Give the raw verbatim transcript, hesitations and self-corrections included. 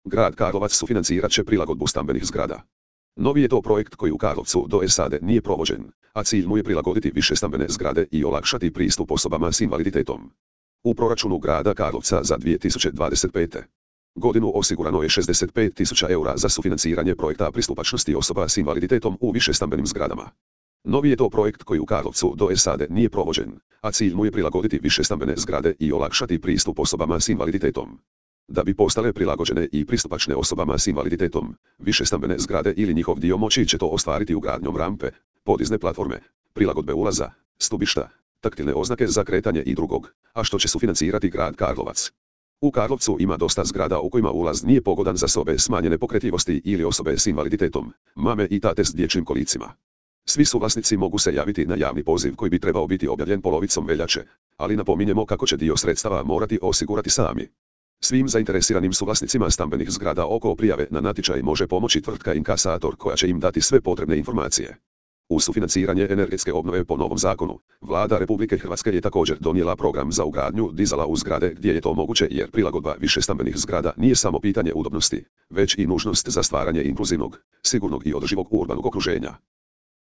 Grad Karlovac sufinancirat će prilagodbu stambenih zgrada. Novi je to projekt koji u Karlovcu do sada nije provođen, a cilj mu je prilagoditi više stambene zgrade i olakšati pristup osobama s invaliditetom. U proračunu grada Karlovca za dvije tisuće dvadeset pete. godinu osigurano je šezdeset pet tisuća eura za sufinanciranje projekta pristupačnosti osoba s invaliditetom u višestambenim zgradama. Novi je to projekt koji u Karlovcu do sada nije provođen, a cilj mu je prilagoditi višestambene zgrade i olakšati pristup osobama s invaliditetom. Da bi postale prilagođene i pristupačne osobama s invaliditetom, višestambene zgrade ili njihov dio moći će to ostvariti ugradnjom rampe, podizne platforme, prilagodbe ulaza, stubišta, taktilne oznake za kretanje i drugog, a što će sufinancirati grad Karlovac. U Karlovcu ima dosta zgrada u kojima ulaz nije pogodan za osobe smanjene pokretljivosti ili osobe s invaliditetom, mame i tate s dječjim kolicima. Svi suvlasnici mogu se javiti na javni poziv koji bi trebao biti objavljen polovicom veljače, ali napominjemo kako će dio sredstava morati osigurati sami. Svim zainteresiranim suvlasnicima stambenih zgrada oko prijave na natječaj može pomoći tvrtka Inkasator koja će im dati sve potrebne informacije. U sufinanciranje energetske obnove po novom zakonu, Vlada Republike Hrvatske je također donijela program za ugradnju dizala u zgrade gdje je to moguće jer prilagodba višestambenih zgrada nije samo pitanje udobnosti, već i nužnost za stvaranje inkluzivnog, sigurnog i održivog urbanog okruženja.